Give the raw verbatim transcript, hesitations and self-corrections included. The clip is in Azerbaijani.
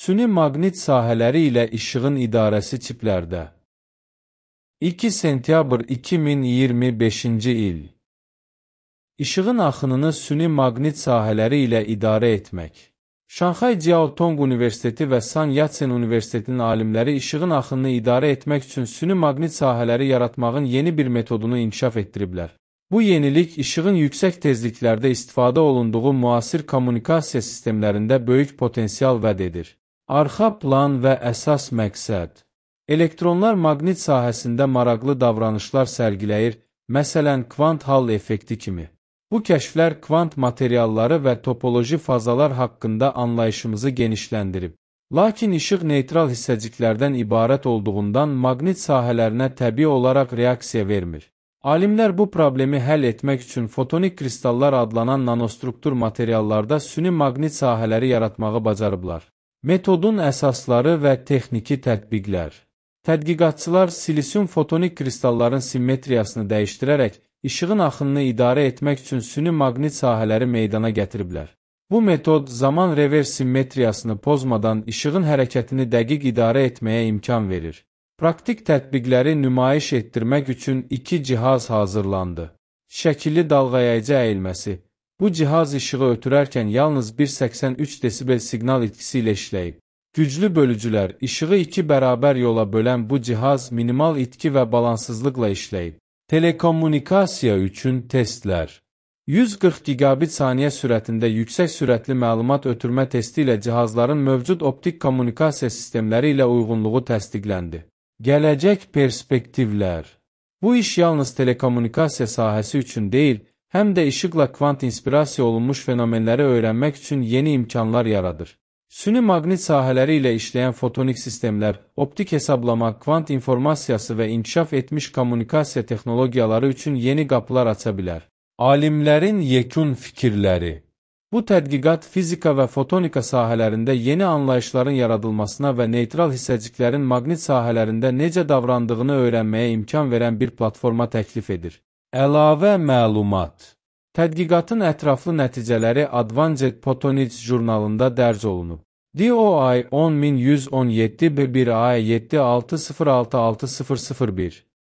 Süni maqnit sahələri ilə işığın idarəsi çiplərdə. iki sentyabr iki min iyirmi beşinci il. İşığın axınını süni maqnit sahələri ilə idarə etmək. Şanxay Jiaotong Universiteti və San Yat-sen Universitetinin alimləri işığın axınını idarə etmək üçün süni maqnit sahələri yaratmağın yeni bir metodunu inkişaf etdiriblər. Bu yenilik işığın yüksək tezliklərdə istifadə olunduğu müasir kommunikasiya sistemlərində böyük potensial vəd edir. Arxa plan və əsas məqsəd. Elektronlar maqnit sahəsində maraqlı davranışlar sərgiləyir, məsələn, kvant hall effekti kimi. Bu kəşflər kvant materialları və topoloji fazalar haqqında anlayışımızı genişləndirib. Lakin işıq neytral hissəciklərdən ibarət olduğundan maqnit sahələrinə təbii olaraq reaksiya vermir. Alimlər bu problemi həll etmək üçün fotonik kristallar adlanan nanostruktur materiallarda süni maqnit sahələri yaratmağı bacarıblar. Metodun əsasları və texniki tətbiqlər. Tədqiqatçılar silisium fotonik kristalların simmetriyasını dəyişdirərək işığın axınını idarə etmək üçün süni maqnit sahələri meydana gətiriblər. Bu metod zaman revers simmetriyasını pozmadan işığın hərəkətini dəqiq idarə etməyə imkan verir. Praktik tətbiqləri nümayiş etdirmək üçün iki cihaz hazırlandı. Şəkilli dalğayayıcı əyilməsi. Bu cihaz işığı ötürərkən yalnız bir nöqtə səksən üç desibel siqnal itkisi ilə işləyib. Güclü bölücülər, işığı iki bərabər yola bölən bu cihaz minimal itki və balansızlıqla işləyib. Telekommunikasiya üçün testlər. yüz qırx gigabit saniyə sürətində yüksək sürətli məlumat ötürmə testi ilə cihazların mövcud optik kommunikasiya sistemləri ilə uyğunluğu təsdiqləndi. Gələcək perspektivlər. Bu iş yalnız telekommunikasiya sahəsi üçün deyil, həm də işıqla kvant inspirasiya olunmuş fenomenləri öyrənmək üçün yeni imkanlar yaradır. Süni maqnit sahələri ilə işləyən fotonik sistemlər, optik hesablama, kvant informasiyası və inkişaf etmiş kommunikasiya texnologiyaları üçün yeni qapılar aça bilər. Alimlərin yekun fikirləri. Bu tədqiqat fizika və fotonika sahələrində yeni anlayışların yaradılmasına və neytral hissəciklərin maqnit sahələrində necə davrandığını öyrənməyə imkan verən bir platforma təklif edir. Əlavə məlumat. Tədqiqatın ətraflı nəticələri Advanced Photonics jurnalında dərc olunub. D O I on min yüz on yeddi bir A yeddi altı sıfır altı altı sıfır sıfır bir